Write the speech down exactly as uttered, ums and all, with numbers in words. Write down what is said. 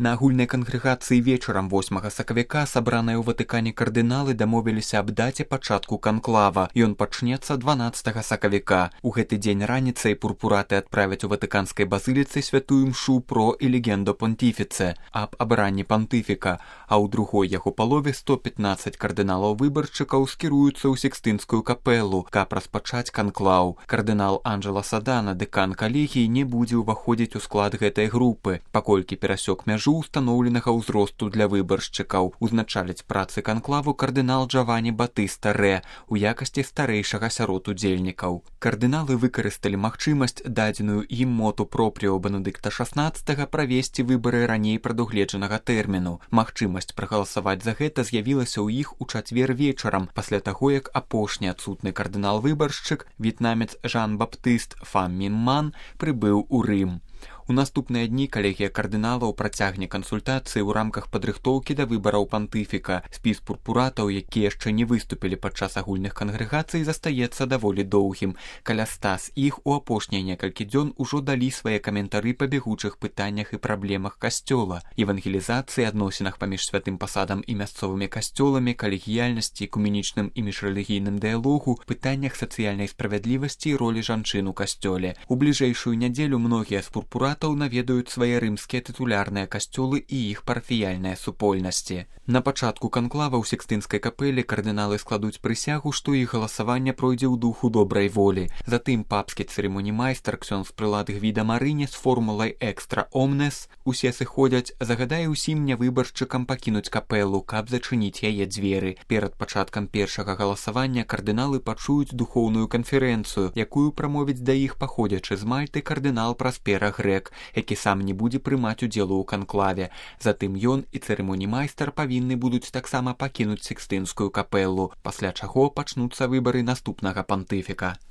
На агульнай кангрэгацыі вечарам восьмага сакавіка сабраныя ў Ватыкане кардыналы дамовіліся аб даце пачатку канклава. Ён пачнецца дванаццатага сакавіка. У гэты дзень раніцай пурпураты адправяць у ватыканскай базыліцы святую мшу про і легендо понтифіце аб абранні пантыфіка, а ў другой яго палове сто пятнаццаць кардыналаў-выбаршчыкаў скіруюцца ў Сікстынскую капелу, каб распачаць канклаў. Кардынал Анджела Садана, дэкан калегіі, не будзе ўваходзіць у склад гэтай групы, паколькі перасёк мяжу устаноўленага ўзросту для выбаршчыкаў. Узначаліць працы канклаву кардынал Джавані Батыста Рэ у якасці старэйшага сярод удзельнікаў. Кардыналы выкарысталі магчымасць, дадзеную ім моту пропріо Бенедыкта шаснаццатага, правесці выбары раней прадугледжанага тэрміну. Магчымасць прагаласаваць за гэта з'явілася ў іх у чацвер вечарам, пасля таго, як апошні адсутны кардынал-выбаршчык, в'етнамец Жан-Баптыст Фам Мін Ман, прыбыў у Рым. У наступныя дні калегія кардыналаў працягне кансультацыі ў рамках падрыхтоўкі да выбараў пантыфіка. Спіс пурпуратаў, якія яшчэ не выступілі падчас агульных кангрэгацый, застаецца даволі доўгім. Каля ста з іх у апошнія некалькі дзён ужо далі свае каментары па бягучых пытаннях і праблемах касцёла, евангелізацыі, адносінах паміж святым пасадам і мясцовымі касцёламі, калегіяльнасці, экуменічным і міжрэлігійным дыялогу, пытаннях сацыяльнай справядлівасці і ролі жанчын у касцёле. У бліжэйшую нядзелю многія з пурпуратаў наведаюць свае рымскія тытулярныя касцёлы і іх парафіяльныя супольнасці. На пачатку канклава ў Сікстынскай капеле кардыналы складуць прысягу, што іх галасаванне пройдзе ў духу добрай волі. Затым папскі цырымонімайстар ксёндз прылад Гвіда Марыні з формулай «Экстра омнес» усе сыходзяць, загадае ўсім нявыбаршчыкам пакінуць капелу, каб зачыніць яе дзверы. Перад пачаткам першага галасавання кардыналы пачуюць духоўную канферэнцыю, якую прамовіць да іх паходзячы з Мальты кардынал Праспера Грэк, які сам не будзе прымаць удзелу ў канклаве. Затым ён і цырымонімайстар павінны будуць таксама пакінуць Сікстынскую капелу, пасля чаго пачнуцца выбары наступнага пантыфіка.